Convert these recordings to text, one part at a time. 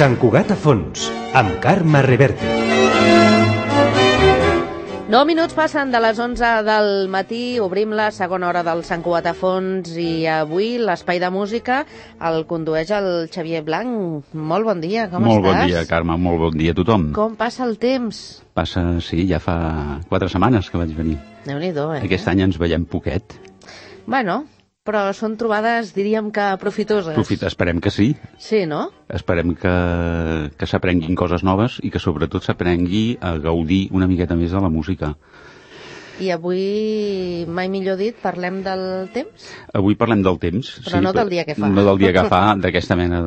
Sant Cugat a fons, amb Carme Reverte. 9 minuts passen de les 11 del matí, obrim la segona hora del Sant Cugat a fons i avui l'espai de música el condueix el Xavier Blanc. Molt bon dia, com estàs? Molt bon dia, Carme, molt bon dia a tothom. Com passa el temps? Passa, sí, ja fa 4 setmanes que vaig venir. Déu-n'hi-do, Aquest any ens veiem poquet. Bueno, però són trobades, diríem que profitoses. Esperem que sí. Sí, no? Esperem que s'aprenguin coses noves i que sobretot s'aprengui a gaudir una miqueta més de la música. I avui, mai millor dit, parlem del temps? Avui parlem del temps. Però sí, no del dia que fa. No del dia que fa, d'aquesta mena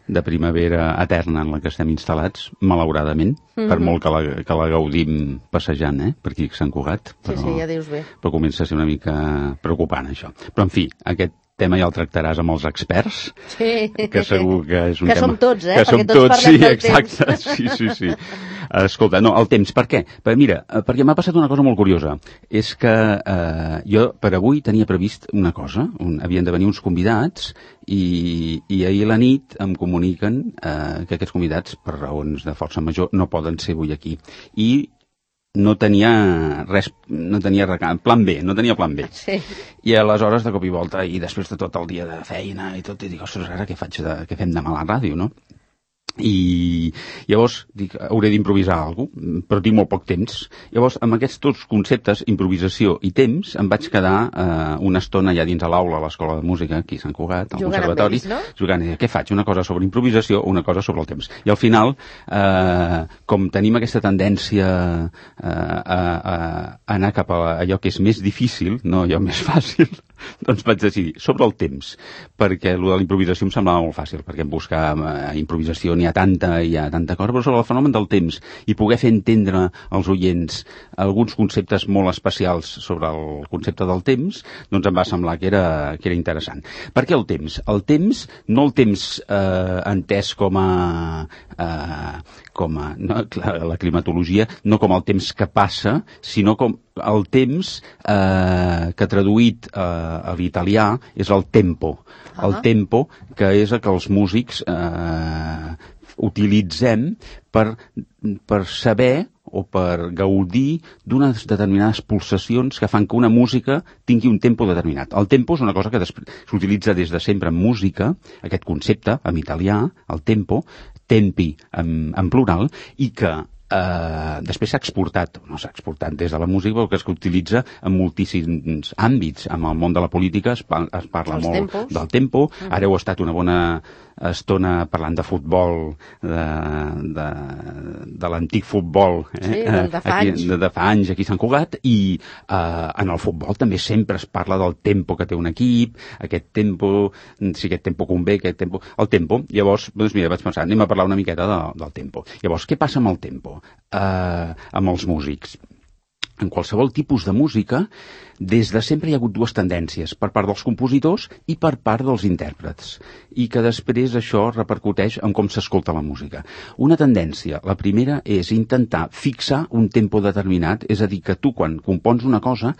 de primavera eterna en la que estem instal·lats, malauradament, per molt que la gaudim passejant, per aquí a Sant Cugat. Però, sí, ja dius bé. Però comença a ser una mica preocupant, això. Però, en fi, aquest tema ja el tractaràs amb els experts, que segur que és un tema... Que som tots, que som perquè tots parlem del temps. Exacte, sí. Escolta, no, el temps, per què? Mira, perquè m'ha passat una cosa molt curiosa. És que jo per avui tenia previst una cosa, havien de venir uns convidats i ahir a la nit em comuniquen que aquests convidats, per raons de força major, no poden ser avui aquí. I no tenia res, no tenia plan B. Sí. I aleshores, de cop i volta, i després de tot el dia de feina i tot, i dic, ostres, ara què fem demà a la ràdio, no? I llavors dic, hauré d'improvisar alguna cosa, però tinc molt poc temps. Llavors, amb aquests dos conceptes, improvisació i temps, em vaig quedar una estona ja dins a l'aula a l'Escola de Música, aquí a Sant Cugat, al Conservatori, jugant, què faig? Una cosa sobre improvisació o una cosa sobre el temps. I al final, com tenim aquesta tendència a anar cap a allò que és més difícil, no allò més fàcil, doncs vaig decidir sobre el temps, perquè el de la improvisació em semblava molt fàcil, perquè buscar improvisació n'hi ha tanta cosa, però sobre el fenomen del temps i poder fer entendre als oients alguns conceptes molt especials sobre el concepte del temps, doncs em va semblar que era interessant. Per què el temps? El temps, no el temps entès com a la climatologia, no com el temps que passa, sinó com el temps que traduït a l'italià és el tempo. El tempo, que és el que els músics utilitzem per saber o per gaudir d'unes determinades pulsacions que fan que una música tingui un tempo determinat. El tempo és una cosa que s'utilitza des de sempre en música, aquest concepte, en italià, el tempo, tempi en plural, i que després s'ha exportat des de la música, però que s'utilitza en moltíssims àmbits. En el món de la política es parla molt del tempo. Ara heu estat una bona estona parlant de futbol, de l'antic futbol, de fa anys aquí a Sant Cugat, i en el futbol també sempre es parla del tempo que té un equip, aquest tempo, si aquest tempo convé, el tempo. Llavors, doncs mira, vaig pensar, anem a parlar una miqueta del tempo. Llavors, què passa amb el tempo? Amb els músics. En qualsevol tipus de música, des de sempre hi ha hagut dues tendències, per part dels compositors i per part dels intèrprets, i que després això repercuteix en com s'escolta la música. Una tendència, la primera, és intentar fixar un tempo determinat, és a dir, que tu, quan compons una cosa,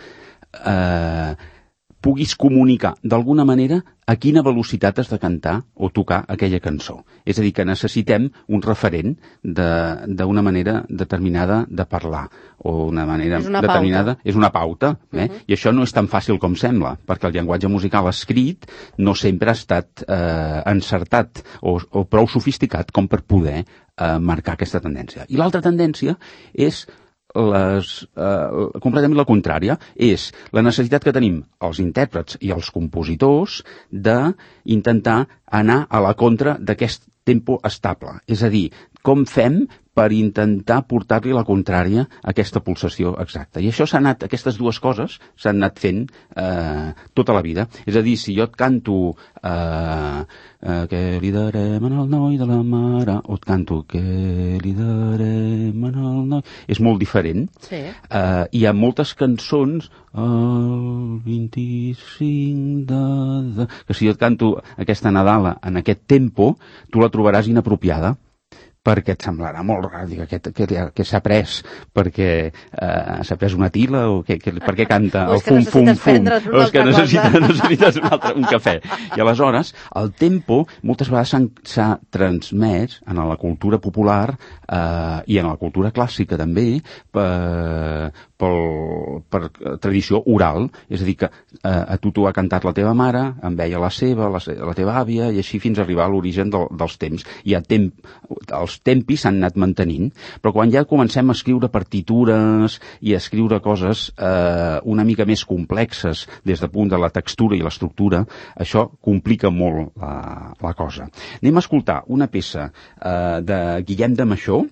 puguis comunicar d'alguna manera a quina velocitat has de cantar o tocar aquella cançó. És a dir, que necessitem un referent d'una manera determinada de parlar, o una manera determinada... És una pauta. I això no és tan fàcil com sembla, perquè el llenguatge musical escrit no sempre ha estat encertat o prou sofisticat com per poder marcar aquesta tendència. I l'altra tendència és completament la contrària, és la necessitat que tenim els intèrprets i els compositors d'intentar anar a la contra d'aquest tempo estable. És a dir, com fem per intentar portar-li la contrària a aquesta pulsació exacta. I això aquestes dues coses s'han anat fent tota la vida. És a dir, si jo et canto què li darem al noi de la mare, o et canto què li darem al noi... És molt diferent. Sí. Hi ha moltes cançons el 25 que si jo et canto aquesta Nadala en aquest tempo, tu la trobaràs inapropiada, perquè et semblarà molt rar, dic, què s'ha pres, perquè s'ha pres una tila o per què canta el fum, o és que necessites un cafè. I aleshores, el tempo moltes vegades s'ha transmès en la cultura popular i en la cultura clàssica també per tradició oral, és a dir, que a tu t'ho ha cantat la teva mare, en veia la seva, la teva àvia, i així fins a arribar a l'origen dels temps. Els tempis s'han anat mantenint, però quan ja comencem a escriure partitures i a escriure coses una mica més complexes des del punt de la textura i l'estructura, això complica molt la cosa. Anem a escoltar una peça de Guillem de Maixó,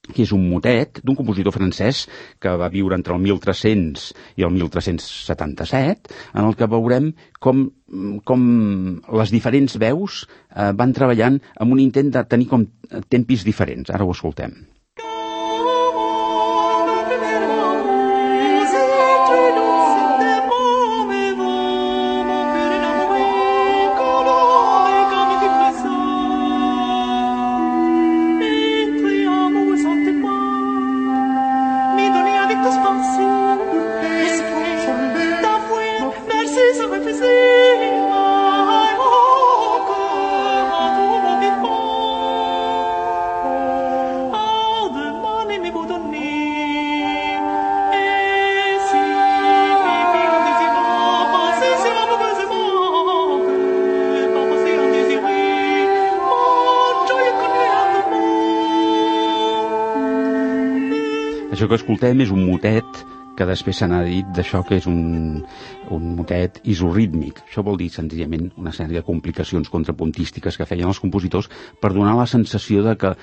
que és un motet d'un compositor francès que va viure entre el 1300 i el 1377, en el que veurem com les diferents veus van treballant amb un intent de tenir com tempis diferents. Ara ho escoltem. Això que escoltem és un motet que després se n'ha dit d'això que és un motet isorrítmic. Això vol dir senzillament una sèrie de complicacions contrapuntístiques que feien els compositors per donar la sensació de que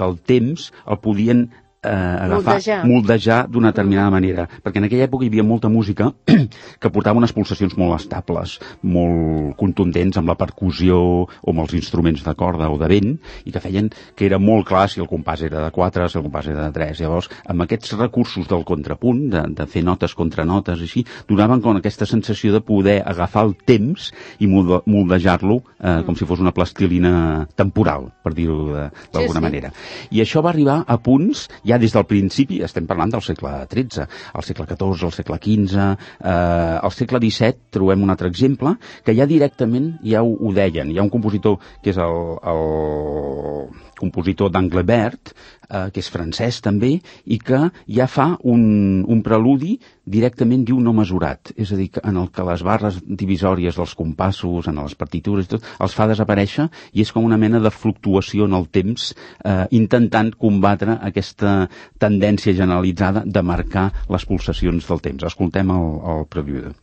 el temps el podien moldejar d'una determinada manera, perquè en aquella època hi havia molta música que portava unes pulsacions molt estables, molt contundents amb la percussió o amb els instruments de corda o de vent, i que feien que era molt clar si el compàs era de 4, si el compàs era de 3. Llavors, amb aquests recursos del contrapunt, de fer notes contra notes, així, donaven com aquesta sensació de poder agafar el temps i moldejar-lo com si fos una plastilina temporal, per dir-ho d'alguna manera. I això va arribar a punts ja des del principi, estem parlant del segle XIII, al segle XIV, al segle XV, al segle XVII trobem un altre exemple, que ja directament ja ho deien. Hi ha un compositor que és el compositor d'Anglebert, que és francès també, i que ja fa un preludi directament diu no mesurat, és a dir, en el que les barres divisòries dels compassos, en les partitures i tot, els fa desaparèixer i és com una mena de fluctuació en el temps, intentant combatre aquesta tendència generalitzada de marcar les pulsacions del temps. Escoltem el prelude.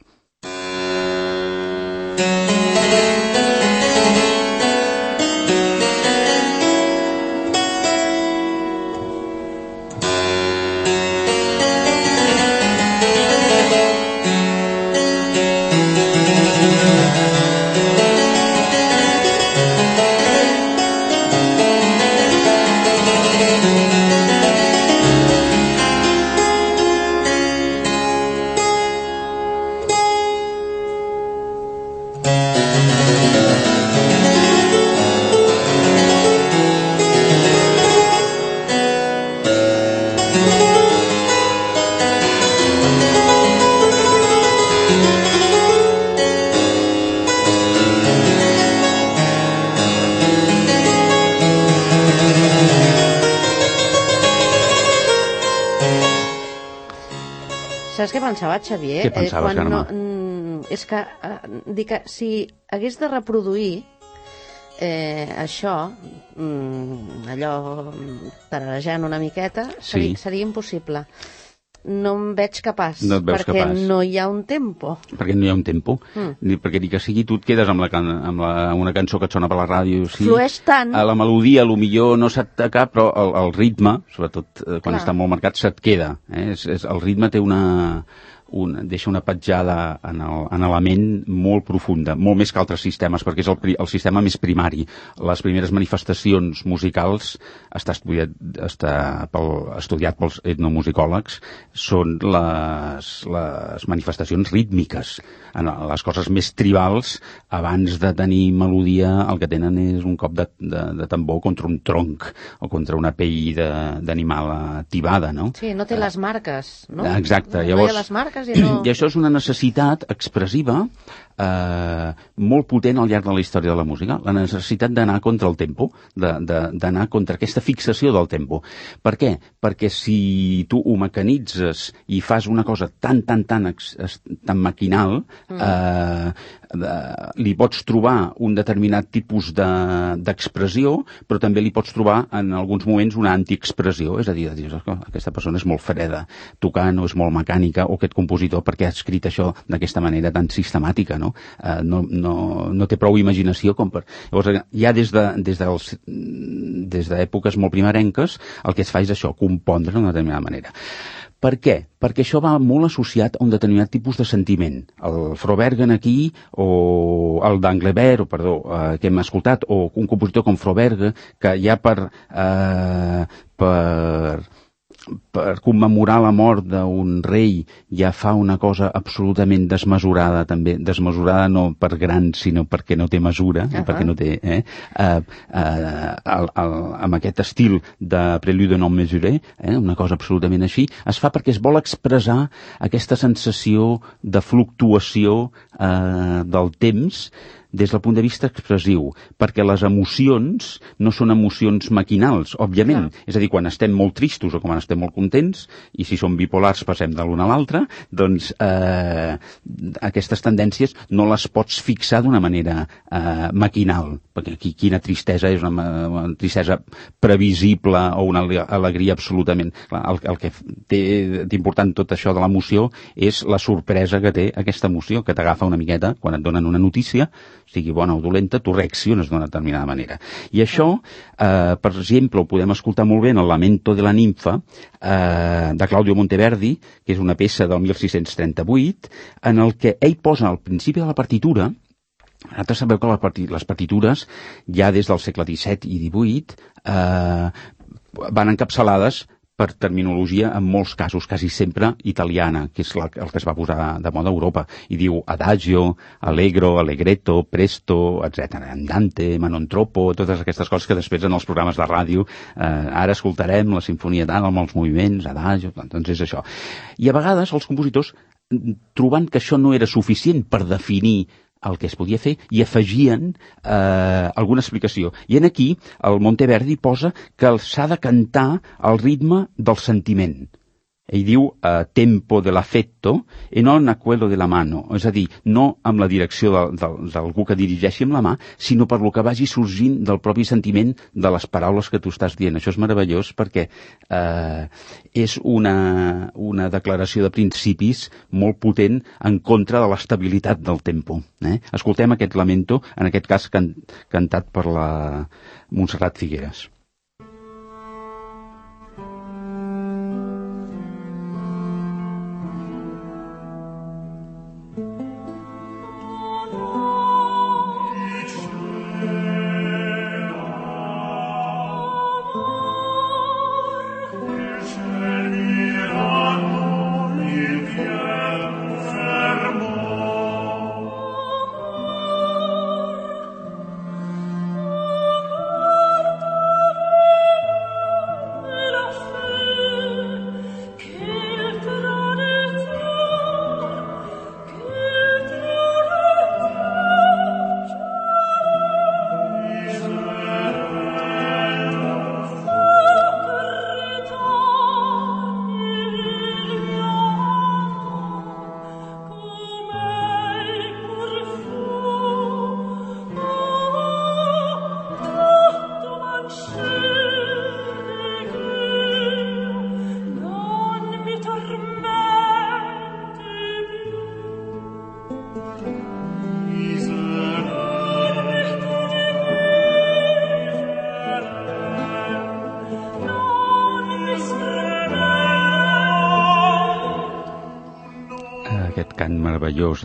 Saps què pensava, Xavier? Què pensaves, Carme? És que, dic que si hagués de reproduir això, allò tararejant una miqueta, seria impossible. No em veig capaç, perquè no hi ha un tempo. Perquè no hi ha un tempo. Perquè ni que sigui tu et quedes amb una cançó que et sona per la ràdio. Sí, flueix tant. La melodia, millor no se't toca, però el ritme, sobretot quan està molt marcat, se't queda. El ritme té deixa una petjada en la ment molt profunda, molt més que altres sistemes, perquè és el sistema més primari. Les primeres manifestacions musicals, està estudiat pels etnomusicòlegs, són les manifestacions rítmiques. Les coses més tribals, abans de tenir melodia, el que tenen és un cop de tambor contra un tronc o contra una pell d'animal tibada, no? Sí, no té les marques, no? Exacte. No hi ha les marques i no... I això és una necessitat expressiva molt potent al llarg de la història de la música, la necessitat d'anar contra el tempo, d'anar contra aquesta fixació del tempo. Per què? Perquè si tu ho mecanitzes i fas una cosa tan maquinal, li pots trobar un determinat tipus d'expressió, però també li pots trobar en alguns moments una antiexpressió, és a dir, aquesta persona és molt freda tocant o és molt mecànica, o aquest compositor perquè ha escrit això d'aquesta manera tan sistemàtica, no? No té prou imaginació com per... Llavors, ja des d'èpoques molt primerenques, el que es fa és això, compondre d'una determinada manera. Per què? Perquè això va molt associat a un determinat tipus de sentiment. El Frobergen aquí, o el d'Anglebert, que hem escoltat, o un compositor com Froberge, que ja per commemorar la mort d'un rei ja fa una cosa absolutament desmesurada, també desmesurada no per gran, sinó perquè no té mesura, perquè no té... amb aquest estil de Prélude non mesuré, una cosa absolutament així, es fa perquè es vol expressar aquesta sensació de fluctuació del temps des del punt de vista expressiu, perquè les emocions no són emocions maquinals, òbviament. És a dir, quan estem molt tristos o quan estem molt contents, i si som bipolars passem de l'un a l'altre, doncs aquestes tendències no les pots fixar d'una manera maquinal, perquè quina tristesa és una tristesa previsible o una alegria absolutament... El que té d'important tot això de l'emoció és la sorpresa que té aquesta emoció, que t'agafa una miqueta quan et donen una notícia, sigui bona o dolenta, tu reacciones d'una determinada manera. I això, per exemple, ho podem escoltar molt bé en el Lamento de la ninfa, de Claudio Monteverdi, que és una peça del 1638, en el que ell posa al principi de la partitura. Vosaltres sabeu que les partitures, ja des del segle XVII i XVIII, van encapçalades per terminologia, en molts casos, quasi sempre italiana, que és el que es va posar de moda a Europa, i diu adagio, allegro, allegretto, presto, etc. Andante, manontropo, totes aquestes coses que després en els programes de ràdio ara escoltarem la sinfonia tal, amb els moviments, adagio, doncs és això. I a vegades els compositors, trobant que això no era suficient per definir el que es podia fer, i afegien alguna explicació. I en aquí el Monteverdi posa que s'ha de cantar al ritme del sentiment. Ell diu tempo de l'affetto e non a quello de la mano, és a dir, no amb la direcció d'algú que dirigeixi amb la mà, sinó per lo que vagi sorgint del propi sentiment de les paraules que tu estàs dient. Això és meravellós perquè és una declaració de principis molt potent en contra de l'estabilitat del tempo. Escoltem aquest lamento, en aquest cas cantat per la Montserrat Figueras. meravellós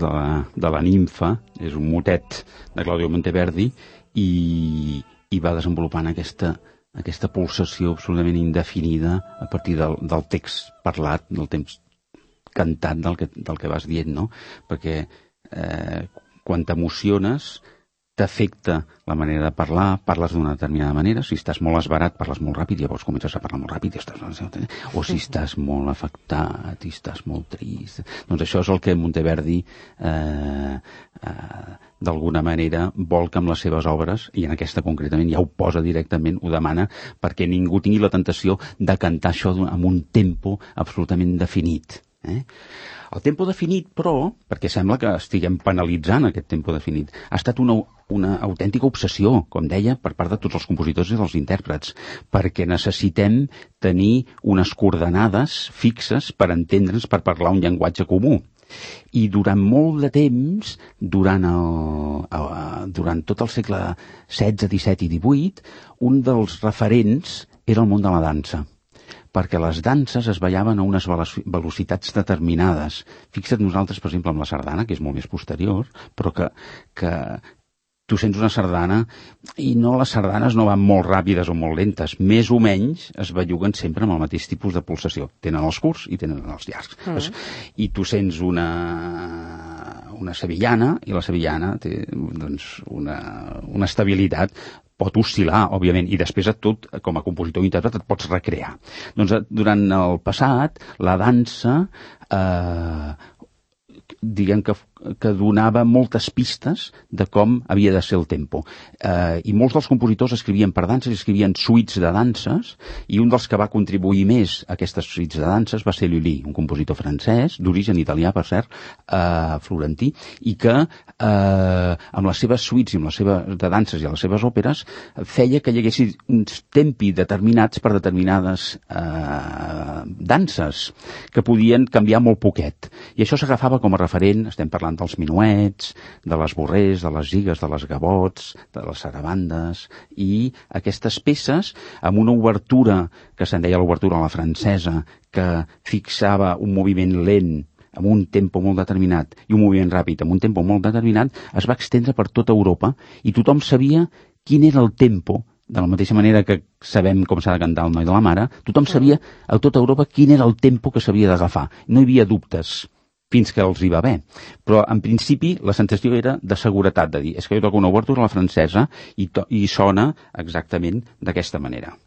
de la nimfa, és un motet de Claudio Monteverdi, i va desenvolupant aquesta pulsació absolutament indefinida a partir del text parlat, del temps cantat del que vas dient, no? Perquè quan t'emociones t'afecta la manera de parlar, parles d'una determinada manera, si estàs molt esverat parles molt ràpid, llavors comences a parlar molt ràpid, o si estàs molt afectat i estàs molt trist. Doncs això és el que Monteverdi d'alguna manera vol que amb les seves obres, i en aquesta concretament ja ho posa directament, ho demana perquè ningú tingui la tentació de cantar això amb un tempo absolutament definit. El tempo definit, però, perquè sembla que estiguem penalitzant aquest tempo definit, ha estat una autèntica obsessió, com deia, per part de tots els compositors i dels intèrprets, perquè necessitem tenir unes coordenades fixes per entendre'ns, per parlar un llenguatge comú. I durant molt de temps, durant tot el segle XVI, XVII i XVIII, un dels referents era el món de la dansa, perquè les danses es ballaven a unes velocitats determinades. Fixa't nosaltres, per exemple, amb la sardana, que és molt més posterior, però que tu sents una sardana i les sardanes no van molt ràpides o molt lentes, més o menys es belluguen sempre amb el mateix tipus de pulsació. Tenen els curts i tenen els llargs. I tu sents una sevillana, i la sevillana té doncs, una estabilitat. Pot oscil·lar, òbviament, i després et tot, com a compositor o intèrpret, et pots recrear. Doncs durant el passat, la dansa, diguem que donava moltes pistes de com havia de ser el tempo. I molts dels compositors escrivien per danses, escrivien suites de danses, i un dels que va contribuir més a aquestes suites de danses va ser Lully, un compositor francès, d'origen italià, per cert, florentí, i que amb les seves suites i amb les seves de danses i les seves òperes feia que hi hagués uns tempi determinats per determinades danses que podien canviar molt poquet. I això s'agafava com a referent, estem parlant dels minuets, de les borrers, de les gigues, de les gavots, de les sarabandes, i aquestes peces amb una obertura que se'n deia l'obertura a la francesa, que fixava un moviment lent amb un tempo molt determinat i un moviment ràpid amb un tempo molt determinat, es va extendre per tota Europa i tothom sabia quin era el tempo, de la mateixa manera que sabem com s'ha de cantar el Noi de la Mare, tothom sabia a tota Europa quin era el tempo que s'havia d'agafar. No hi havia dubtes fins que els hi va bé. Però, en principi, la sensació era de seguretat, de dir, és que jo toco una obertura a la francesa i sona exactament d'aquesta manera.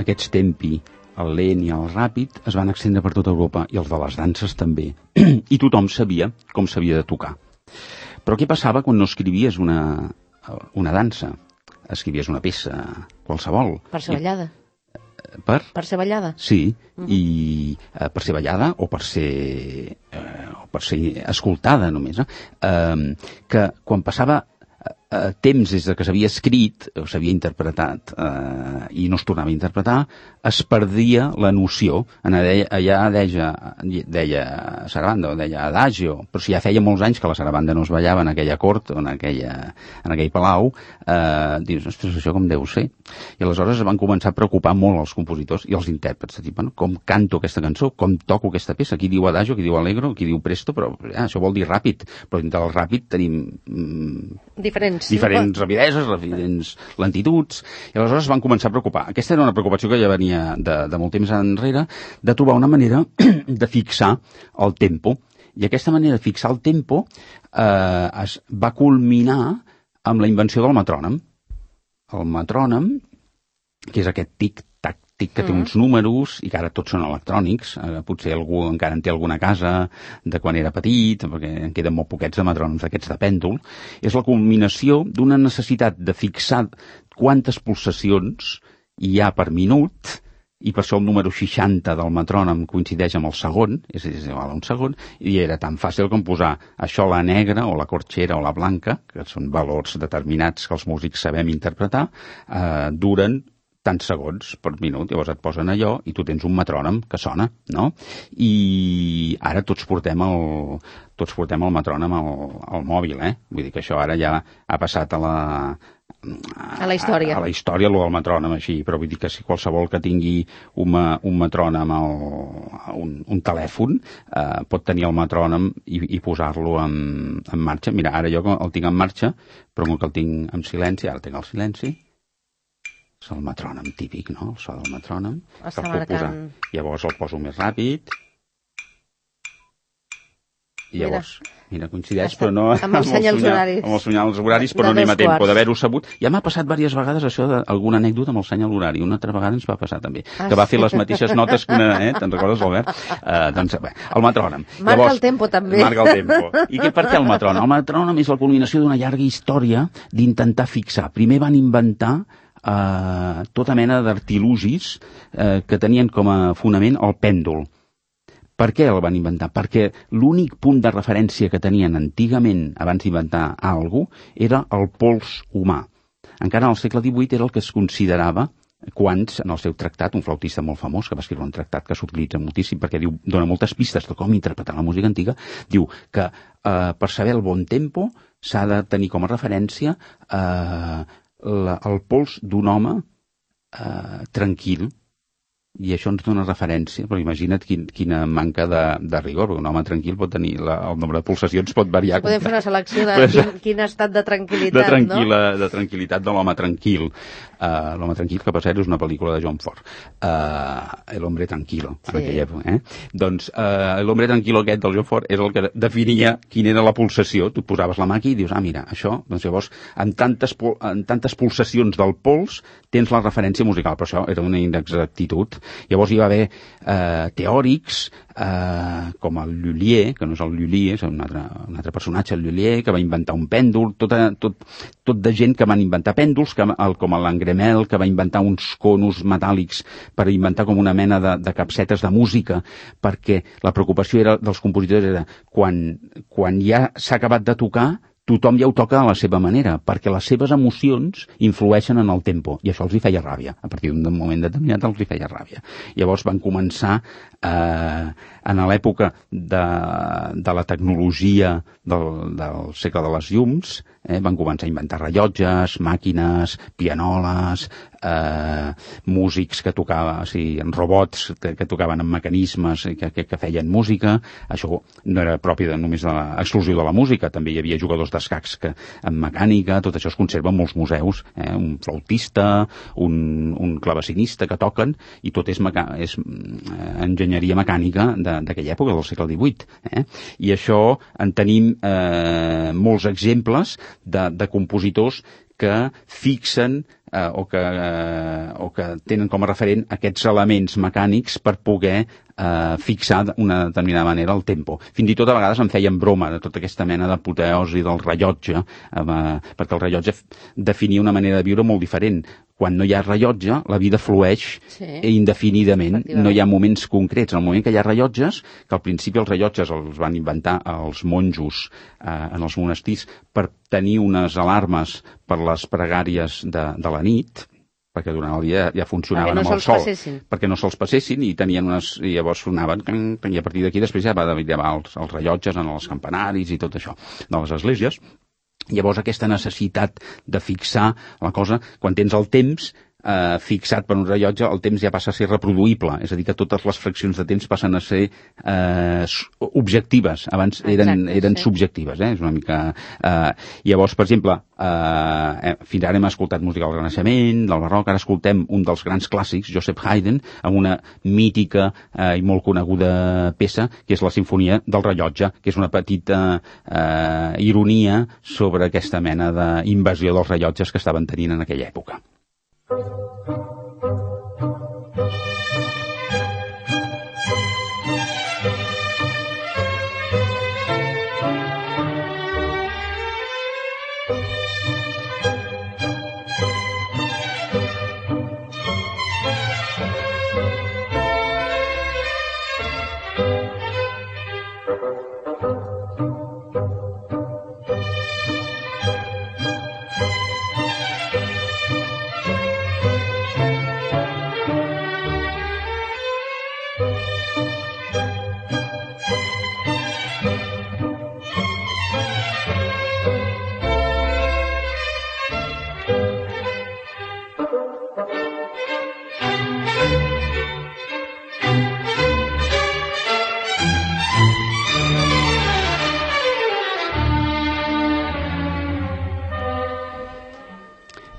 Aquests tempi, el lent i el ràpid, es van extendre per tota Europa, i els de les danses també. I tothom sabia com s'havia de tocar. Però què passava quan no escrivies una dansa? Escrivies una peça qualsevol. Per ser ballada. Per ser ballada? Sí, i per ser ballada o per ser escoltada només. Que quan passava temps des que s'havia escrit o s'havia interpretat i no es tornava a interpretar, es perdia la noció. Allà deia sarabanda o deia adagio, però si ja feia molts anys que la sarabanda no es ballava en aquella cort o en aquell palau, dius, ostres, això com deu ser? I aleshores es van començar a preocupar molt els compositors i els intèrprets, de dir, bueno, com canto aquesta cançó, com toco aquesta peça, qui diu adagio, qui diu allegro, qui diu presto, però això vol dir ràpid, però entre el ràpid tenim diferents diferents rapideses, diferents lentituds, i aleshores es van començar a preocupar. Aquesta era una preocupació que ja venia de molt temps enrere, de trobar una manera de fixar el tempo. I aquesta manera de fixar el tempo es va culminar amb la invenció del metrònom. El metrònom, que és aquest tic-tac, que té uns números i que ara tots són electrònics, potser algú encara en té alguna casa de quan era petit, perquè en queden molt poquets de metrònoms d'aquests de pèndol, és la culminació d'una necessitat de fixar quantes pulsacions hi ha per minut, i per això el número 60 del metrònom coincideix amb el segon, és igual a un segon, i era tan fàcil com posar això la negra o la corxera o la blanca, que són valors determinats que els músics sabem interpretar, duren tants segons per minut, llavors et posen allò i tu tens un metrònom que sona, no? I ara tots portem el metrònom al mòbil, Vull dir que això ara ja ha passat a la història. A la història, allò del metrònom, així, però vull dir que si qualsevol que tingui un metrònom un telèfon pot tenir el metrònom i posar-lo en marxa. Mira, ara jo el tinc en marxa, però com que el tinc en silenci, ara tinc el silenci, és el metrònom típic, no? El so del metrònom. Està marcant. Llavors el poso més ràpid. I llavors, mira, coincideix, però no amb els senyals horaris. Amb els senyals horaris, però no anem a tempo d'haver-ho sabut. Ja m'ha passat diverses vegades això d'alguna anècdota amb el senyal horari. Una altra vegada ens va passar també, que va fer les mateixes notes que una, te'n recordes, Albert? Doncs bé, el metrònom. Marca el tempo, també. Marca el tempo. I per què el metrònom? El metrònom és la culminació d'una llarga història d'intentar fixar. Primer van inventar tota mena d'artilugis que tenien com a fonament el pèndol. Per què el van inventar? Perquè l'únic punt de referència que tenien antigament, abans d'inventar alguna cosa, era el pols humà. Encara al segle XVIII era el que es considerava Quants, en el seu tractat, un flautista molt famós, que va escriure un tractat que s'utilitza moltíssim perquè dona moltes pistes de com interpretar la música antiga, diu que per saber el bon tempo s'ha de tenir com a referència el pols d'un home tranquil, i això ens dona referència, però imagina't quina manca de rigor, perquè un home tranquil pot tenir el nombre de pulsacions pot variar. Sí, podem fer una selecció de quin estat de tranquil·litat, no? De tranquil·litat de l'home tranquil. L'home tranquil, que per cert és una pel·lícula de John Ford. El hombre tranquilo, en aquella època. Doncs l'hombre tranquilo aquest del John Ford és el que definia quina era la pulsació. Tu posaves la mà aquí i dius, mira, això, doncs llavors, en tantes pulsacions del pols tens la referència musical, però això era una inexactitud. Llavors hi va haver teòrics com el Lullier, que no és el Lullier, és un altre personatge, el Lullier, que va inventar un pèndol, tot de gent que van inventar pèndols, com l'Angremel, que va inventar uns conos metàl·lics per inventar com una mena de capsetes de música, perquè la preocupació dels compositors era quan ja s'ha acabat de tocar, tothom ja ho toca a la seva manera, perquè les seves emocions influeixen en el tempo, i això els hi feia ràbia. A partir d'un moment determinat els hi feia ràbia. Llavors van començar, en l'època de la tecnologia del segle de les llums, van començar a inventar rellotges, màquines, pianoles, músics que tocaven, robots que tocaven amb mecanismes que feien música. Això no era propi només exclusiu de la música, també hi havia jugadors d'escacs amb mecànica, tot això es conserva en molts museus, un flautista, un clavecinista que toquen, i tot és enginyeria mecànica d'aquella època, del segle XVIII. I això en tenim molts exemples de compositors que fixen o que tenen com a referent aquests elements mecànics per poder fixar d'una determinada manera el tempo. Fins i tot a vegades en feien broma de tota aquesta mena d'apoteosi del rellotge, perquè el rellotge definia una manera de viure molt diferent. Quan no hi ha rellotge, la vida flueix indefinidament, no hi ha moments concrets. En el moment que hi ha rellotges, que al principi els rellotges els van inventar els monjos en els monestirs per tenir unes alarmes per les pregàries de la nit, perquè durant el dia ja funcionaven amb el sol, perquè no se'ls passessin, i tenien i llavors sonaven, i a partir d'aquí després ja va llevar els rellotges en els campanaris i tot això de les esglésies. Llavors aquesta necessitat de fixar la cosa, quan tens el temps, fixat per un rellotge, el temps ja passa a ser reproduïble, és a dir, que totes les fraccions de temps passen a ser objectives, abans eren subjectives, és una mica... Llavors, per exemple, fins ara hem escoltat música del Renaixement, del Barroc, ara escoltem un dels grans clàssics, Joseph Haydn, amb una mítica i molt coneguda peça, que és la Simfonia del Rellotge, que és una petita ironia sobre aquesta mena d'invasió dels rellotges que estaven tenint en aquella època.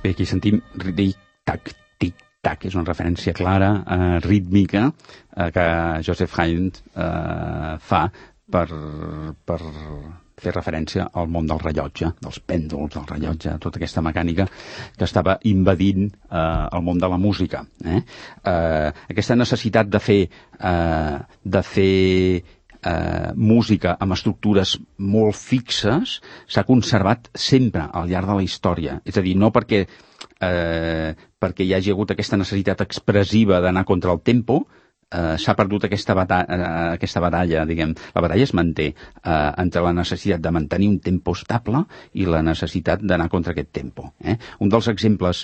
Bé, aquí sentim tic-tac, tic-tac, és una referència clara, rítmica, que Joseph Haydn fa per fer referència al món del rellotge, dels pèndols del rellotge, tota aquesta mecànica que estava invadint el món de la música. Aquesta necessitat de fer música amb estructures molt fixes s'ha conservat sempre al llarg de la història. És a dir, no perquè hi hagi hagut aquesta necessitat expressiva d'anar contra el tempo, s'ha perdut aquesta batalla, diguem. La batalla es manté entre la necessitat de mantenir un tempo estable i la necessitat d'anar contra aquest tempo. Un dels exemples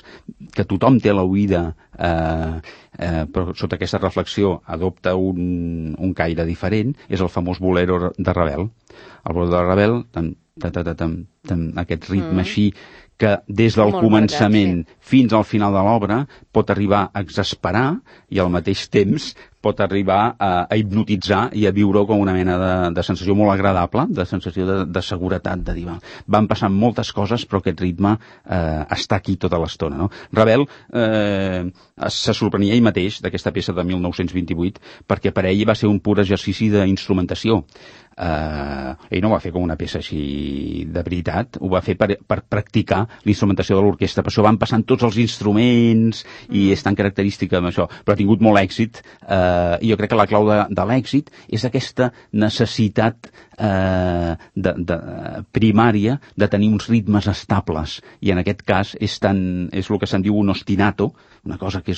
que tothom té a l'oïda, però sota aquesta reflexió adopta un caire diferent, és el famós bolero de Ravel. El bolero de Ravel, aquest ritme així, que des del començament fins al final de l'obra pot arribar a exasperar i al mateix temps pot arribar a hipnotitzar i a viure com una mena de sensació molt agradable, de sensació de seguretat, de dir, van passant moltes coses però aquest ritme està aquí tota l'estona. No? Ravel se sorprenia ell mateix d'aquesta peça de 1928 perquè per ell va ser un pur exercici d'instrumentació. Ell no ho va fer com una peça així de veritat, ho va fer per practicar l'instrumentació de l'orquestra, per això van passant tots els instruments i és tan característica amb això, però ha tingut molt èxit i jo crec que la clau de l'èxit és aquesta necessitat primària de tenir uns ritmes estables i en aquest cas és el que se'n diu un ostinato, una cosa que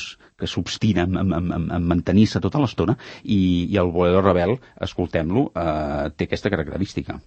s'obstina en mantenir-se tota l'estona i el bolero Ravel, escoltem-lo, té aquesta característica.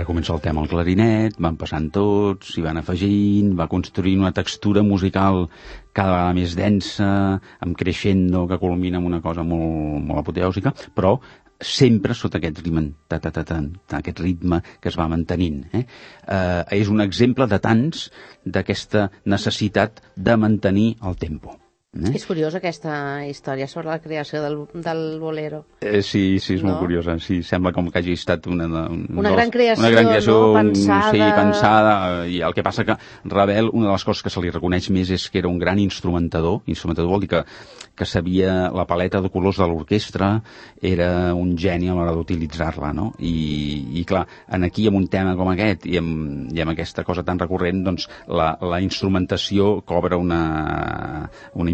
Comença el tema al clarinet, van passant tots, s'hi van afegint, va construint una textura musical cada vegada més densa, amb crescendo, que culmina amb una cosa molt, molt apoteòsica, però sempre sota aquest ritme, aquest ritme que es va mantenint. És un exemple de tants d'aquesta necessitat de mantenir el tempo. És curiosa aquesta història sobre la creació del bolero. Sí, és molt curiosa. Sí, sembla com que hagi estat una gran creació, pensada. Sí, pensada. I el que passa que Ravel, una de les coses que se li reconeix més és que era un gran instrumentador. Instrumentador vol dir que sabia la paleta de colors de l'orquestra, era un geni a l'hora d'utilitzar-la, no? I clar, aquí amb un tema com aquest i amb aquesta cosa tan recurrent, doncs la instrumentació cobra una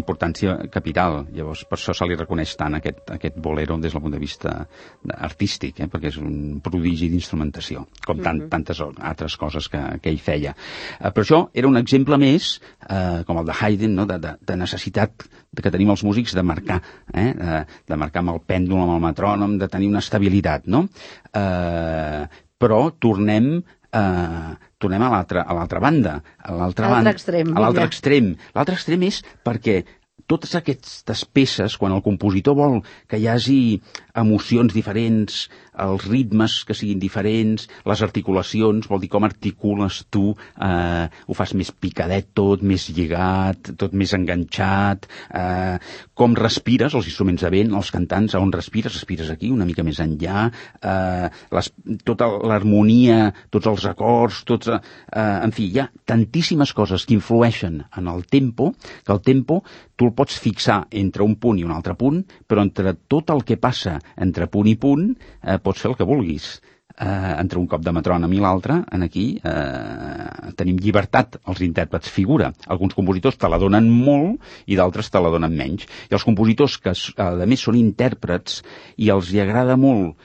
importància capital. Llavors, per això se li reconeix tant aquest bolero des del punt de vista artístic, perquè és un prodigi d'instrumentació, com tantes altres coses que ell feia. Però això era un exemple més, com el de Haydn, no? de necessitat que tenim els músics de marcar, de marcar amb el pèndol, amb el metrònom, de tenir una estabilitat, no? Però tornem a l'altra banda, a l'altre extrem. L'altre extrem és perquè totes aquestes peces, quan el compositor vol que hi hagi emocions diferents, els ritmes que siguin diferents, les articulacions, vol dir com articules tu, ho fas més picadet tot, més lligat, tot més enganxat, com respires, els instruments de vent, els cantants, on respires aquí, una mica més enllà, tota l'harmonia, tots els acords, en fi, hi ha tantíssimes coses que influeixen en el tempo, que el tempo tu el pots fixar entre un punt i un altre punt, però entre tot el que passa entre punt i punt, pots fer el que vulguis. Entre un cop de metrònom i l'altre, aquí tenim llibertat, els intèrprets figura. Alguns compositors te la donen molt i d'altres te la donen menys. I els compositors que, a més, són intèrprets i els hi agrada molt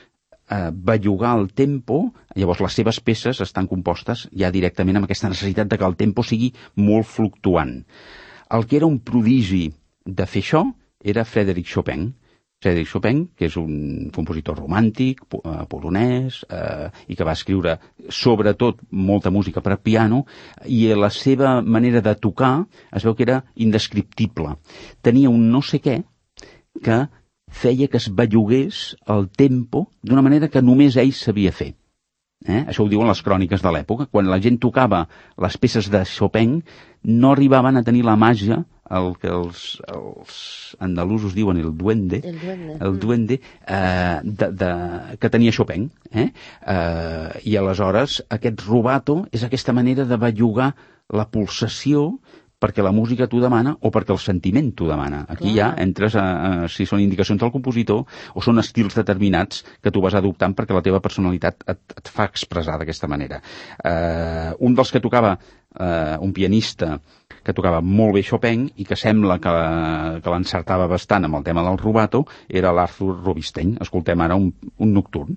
bellugar el tempo, llavors les seves peces estan compostes ja directament amb aquesta necessitat de que el tempo sigui molt fluctuant. El que era un prodigi de fer això era Frédéric Chopin. Frédéric Chopin, que és un compositor romàntic, polonès, i que va escriure sobretot molta música per a piano, i la seva manera de tocar es veu que era indescriptible. Tenia un no sé què que feia que es bellugués el tempo d'una manera que només ell sabia fer. Això ho diuen les cròniques de l'època. Quan la gent tocava les peces de Chopin, no arribaven a tenir la màgia, el que els andalusos diuen el duende, que tenia Chopin. I aleshores aquest rubato és aquesta manera de bellugar la pulsació perquè la música t'ho demana o perquè el sentiment t'ho demana. Aquí ja entres si són indicacions del compositor o són estils determinats que tu vas adoptant perquè la teva personalitat et fa expressar d'aquesta manera. Un dels que tocava, un pianista que tocava molt bé Chopin i que sembla que l'encertava bastant amb el tema del rubato, era l'Arthur Rubinstein. Escoltem ara un nocturn.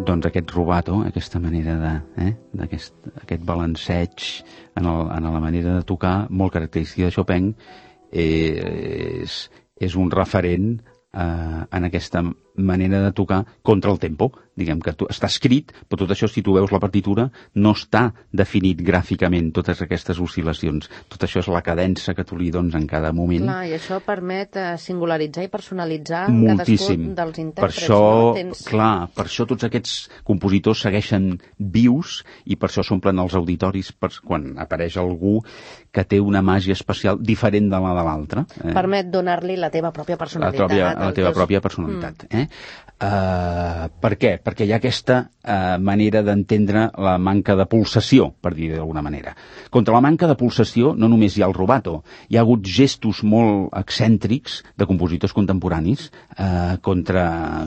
Doncs aquest rubato, aquesta manera aquest balanceig en la manera de tocar, molt característica de Chopin, és un referent en aquesta manera de tocar contra el tempo. Diguem que està escrit, però tot això, si tu veus la partitura, no està definit gràficament, totes aquestes oscil·lacions. Tot això és la cadença que tu li dones en cada moment. Clar, i això permet singularitzar i personalitzar moltíssim. Cadascun dels intèrprets. Per això tots aquests compositors segueixen vius i per això s'omplen els auditoris quan apareix algú que té una màgia especial diferent de la de l'altre. Permet donar-li la teva pròpia personalitat. La teva pròpia personalitat. Per què? Perquè hi ha aquesta manera d'entendre la manca de pulsació, per dir d'alguna manera. Contra la manca de pulsació no només hi ha el rubato, hi ha hagut gestos molt excèntrics de compositors contemporanis contra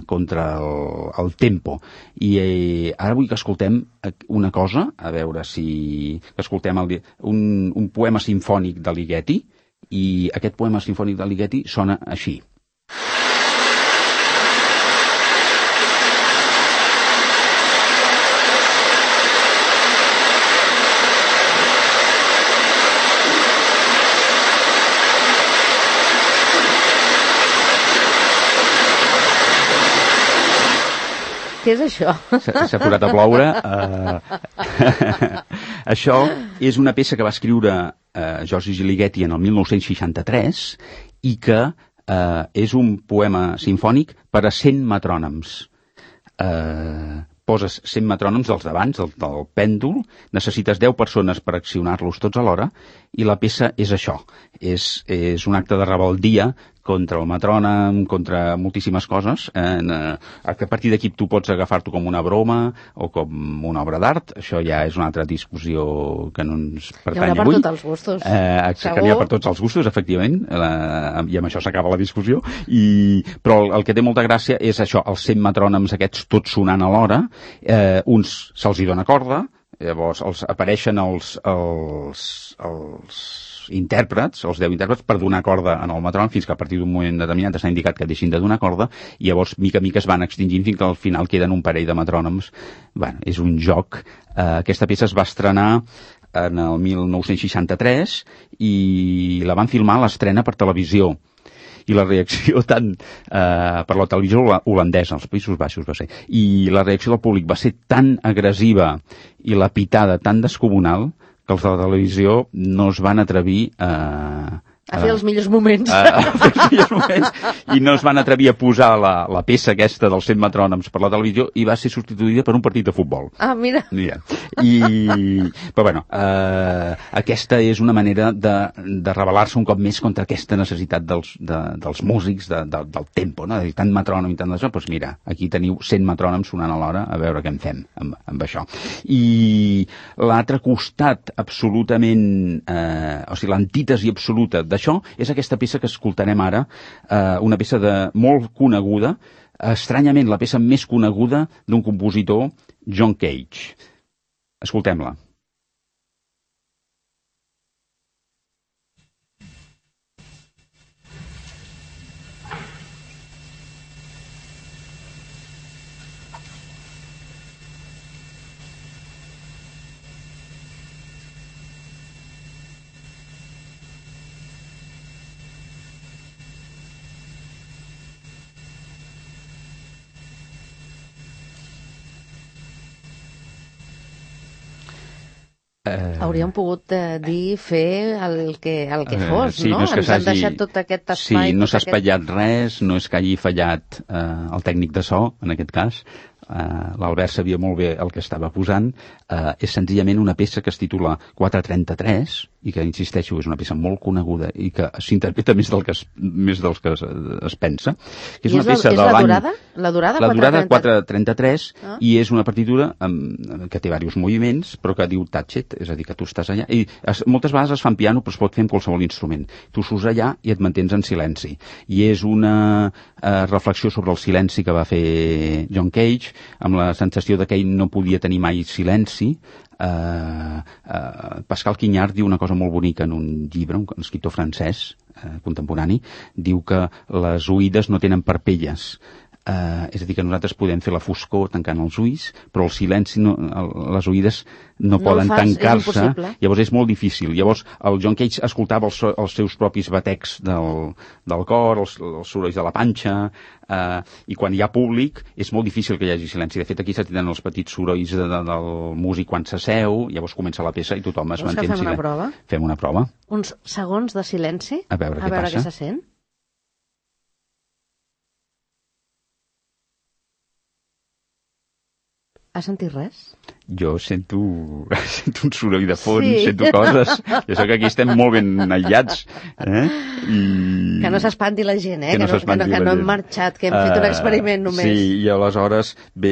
el tempo. I ara vull que escoltem una cosa, a veure si escoltem un poema simfònic de Ligeti, i aquest poema simfònic de Ligeti sona així. Què és això? S'ha posat a ploure. Això és una peça que va escriure Giorgio Ligeti en el 1963 i que és un poema simfònic per a 100 metrònoms. Poses 100 metrònoms dels d'abans, del pèndol, necessites 10 persones per accionar-los tots alhora, i la peça és això. És un acte de rebeldia contra el metrònom, contra moltíssimes coses, que a partir d'aquí tu pots agafar-t'ho com una broma o com una obra d'art. Això ja és una altra discussió que no ens pertany avui. Hi haurà per tots els gustos. Que n'hi ha per tots els gustos, efectivament, i amb això s'acaba la discussió. Però el que té molta gràcia és això, els 100 metrònoms aquests tots sonant alhora, uns se'ls hi dona corda, llavors apareixen els intèrprets, els 10 intèrprets, per donar corda en el metrònom, fins que a partir d'un moment determinat està indicat que deixin de donar corda, i llavors mica a mica es van extingint fins que al final queden un parell de metrònoms. Bueno, és un joc. Aquesta peça es va estrenar en el 1963 i la van filmar a l'estrena per televisió. I la reacció tant per la televisió holandesa, als Països Baixos va ser, i la reacció del públic va ser tan agressiva i la pitada tan descomunal que els de la televisió no es van atrevir a fer els millors moments. I no es van atrevir a posar la peça aquesta dels 100 metrònoms per la televisió i va ser substituïda per un partit de futbol. Ah, mira. Però bueno, aquesta és una manera de rebel·lar-se un cop més contra aquesta necessitat dels músics, del tempo, no? De dir, tant metrònom i tant d'això, doncs mira, aquí teniu 100 metrònoms sonant alhora, a veure què en fem amb això. I l'altre costat absolutament, o sigui, l'antítesi absoluta d'això és aquesta peça que escoltarem ara, una peça molt coneguda, estranyament la peça més coneguda d'un compositor, John Cage. Escoltem-la. Hauríem pogut dir fer el que fos, sí, no? No és que ens han deixat tot aquest espai. Sí, no s'ha espatllat res, no és que hagi fallat el tècnic de so, en aquest cas. L'Albert sabia molt bé el que estava posant. És senzillament una peça que es titula 433 i que, insisteixo, és una peça molt coneguda i que s'interpreta més dels que es pensa. Que és una peça de l'any... La durada? La durada 433 i és una partitura que té diversos moviments però que diu touch it, és a dir, que tu estàs allà i moltes vegades es fa en piano però es pot fer amb qualsevol instrument. Tu surts allà i et mantens en silenci i és una reflexió sobre el silenci que va fer John Cage, amb la sensació de que ell no podia tenir mai silenci. Pascal Quignard diu una cosa molt bonica en un llibre, un escriptor francès contemporani, diu que les oïdes no tenen parpelles. És a dir, que nosaltres podem fer la foscor tancant els ulls, però el silenci, les oïdes no poden tancar-se, llavors és molt difícil. Llavors el John Cage escoltava els seus propis batecs del cor, els sorolls de la panxa, i quan hi ha públic és molt difícil que hi hagi silenci. De fet, aquí se tenen els petits sorolls del músic quan s'asseu, llavors comença la peça i tothom es manté en silenci. Fem una prova? Uns segons de silenci? A veure què passa. Què se sent? Has sentit res? Jo sento un soroll de fons, sento coses. Jo sé que aquí estem molt ben aïllats. Que no s'espanti la gent, que no hem marxat, que hem fet un experiment només. Sí, i aleshores, bé,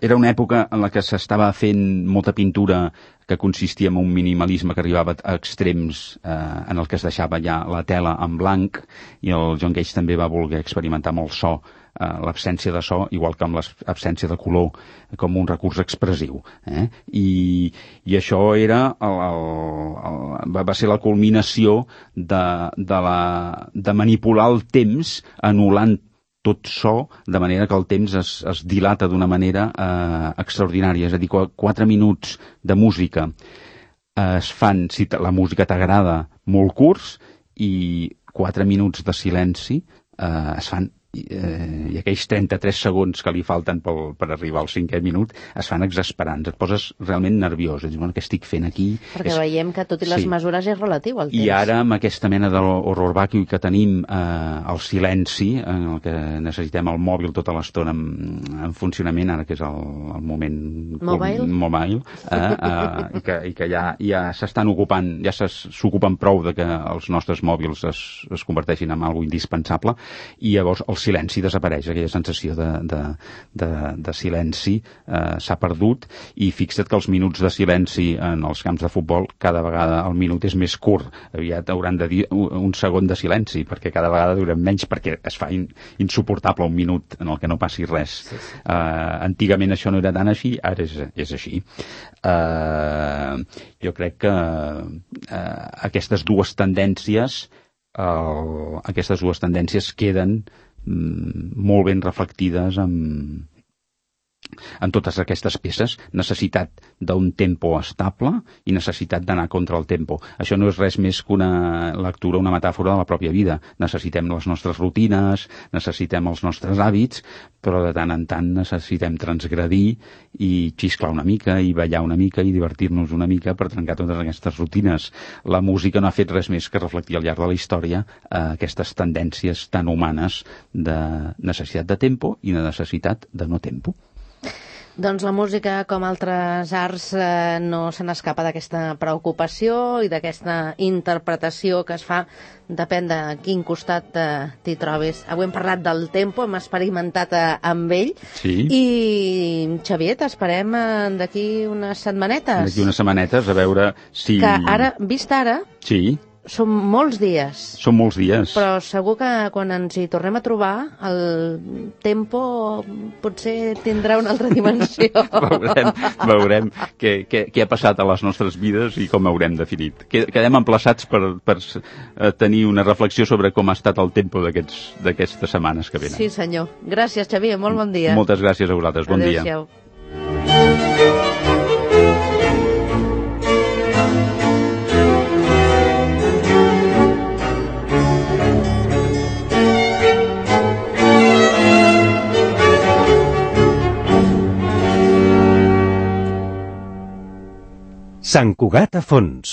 era una època en la que s'estava fent molta pintura que consistia en un minimalisme que arribava a extrems en el que es deixava ja la tela en blanc, i el John Cage també va voler experimentar amb el so, l'absència de so, igual que amb l'absència de color, com un recurs expressiu. I això era va ser la culminació de manipular el temps anul·lant tot so, de manera que el temps es dilata d'una manera extraordinària. És a dir, 4 minuts de música es fan, si la música t'agrada, molt curts, i 4 minuts de silenci es fan i aquells 33 segons que li falten per arribar al 5è minut es fan exasperants, et poses realment nerviós, dius, bueno, què estic fent aquí? Perquè veiem que tot i les mesures és relatiu al temps. I ara, amb aquesta mena d'horror vacui que tenim, el silenci, en el que necessitem el mòbil tota l'estona en funcionament, ara que és el moment mobile, i que ja s'estan ocupant, ja s'ocupen prou de que els nostres mòbils es converteixin en algo indispensable, i llavors el silenci desapareix, aquella sensació de silenci s'ha perdut, i fixa't que els minuts de silenci en els camps de futbol, cada vegada el minut és més curt, aviat hauran de dir un segon de silenci, perquè cada vegada durem menys, perquè es fa insuportable un minut en el que no passi res. Antigament això no era tan així, ara és així. Jo crec que aquestes dues tendències queden molt ben reflectides en totes aquestes peces, necessitat d'un tempo estable i necessitat d'anar contra el tempo. Això no és res més que una lectura, una metàfora de la pròpia vida. Necessitem les nostres rutines, necessitem els nostres hàbits, però de tant en tant necessitem transgredir i xisclar una mica, i ballar una mica, i divertir-nos una mica per trencar totes aquestes rutines. La música no ha fet res més que reflectir al llarg de la història aquestes tendències tan humanes de necessitat de tempo i de necessitat de no tempo. Doncs la música, com altres arts, no se n'escapa d'aquesta preocupació i d'aquesta interpretació que es fa, depèn de quin costat t'hi trobis. Avui hem parlat del tempo, hem experimentat amb ell, i Xavier, t'esperem d'aquí unes setmanetes. D'aquí unes setmanetes, a veure si... Que ara, vist ara... Sí. Són molts dies. Són molts dies. Però segur que quan ens hi tornem a trobar, el tempo potser tindrà una altra dimensió. Veurem què ha passat a les nostres vides i com haurem definit. Quedem emplaçats per tenir una reflexió sobre com ha estat el tempo d'aquestes setmanes que venen. Sí, senyor. Gràcies, Xavier. Molt bon dia. Moltes gràcies a vosaltres. Bon dia. Adéu-siau. Sant Cugat a fons.